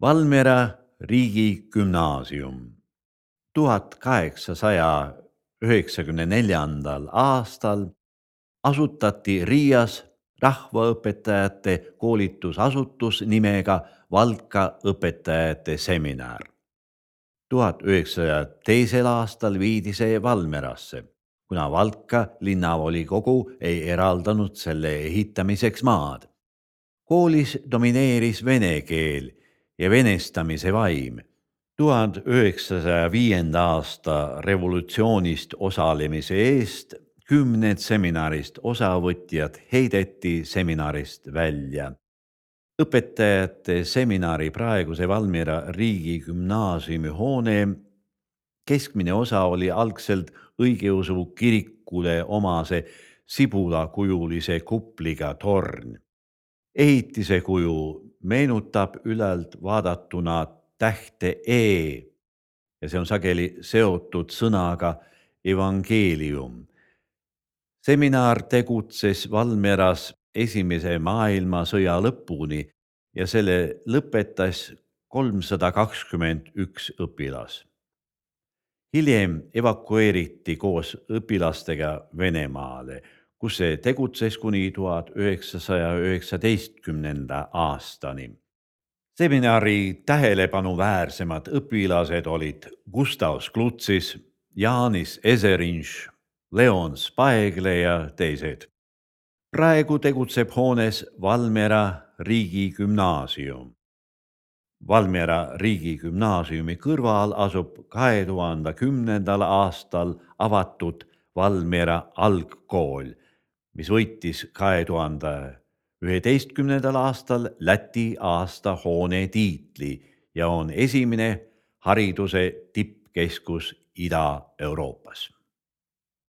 Valmiera riigigümnaasium 1894. aastal asutati Riias rahvaõpetajate koolitusasutus nimega Valka õpetajate seminar. 1902. aastal viidi see Valmerasse, kuna Valka linnavolikogu ei eraldanud selle ehitamiseks maad. Koolis domineeris vene keel ja venestamise vaim. 1905. aasta revolutsioonist osalemise eest 10 seminarist osavõtjad heideti seminarist välja. Õpetajate seminari praeguse Valmiera riigigümnaasiumi hoone keskmine osa oli algselt õigeusu kirikule omase sibulakujulise kupliga torn. Ehitise kuju meenutab ülalt vaadatuna tähte E ja see on sageli seotud sõnaga evangeelium. Seminar tegutses Valmieras Esimese maailmasõja lõpuni ja selle lõpetas 321 õpilas. Hiljem evakueeriti koos õpilastega Venemaale, kus see tegutses kuni 1919. aastani. Seminari tähelepanuväärsemad õpilased olid Gustav Sklutsis, Jaanis Eserinš, Leon Spaegle ja teised. Praegu tegutseb hoones Valmiera riigigümnaasium. Valmiera riigigümnaasiumi kõrval asub 2010. aastal avatud Valmiera algkool, mis võitis 2011. aastal Läti aasta hoone tiitli ja on esimene hariduse tippkeskus Ida-Euroopas.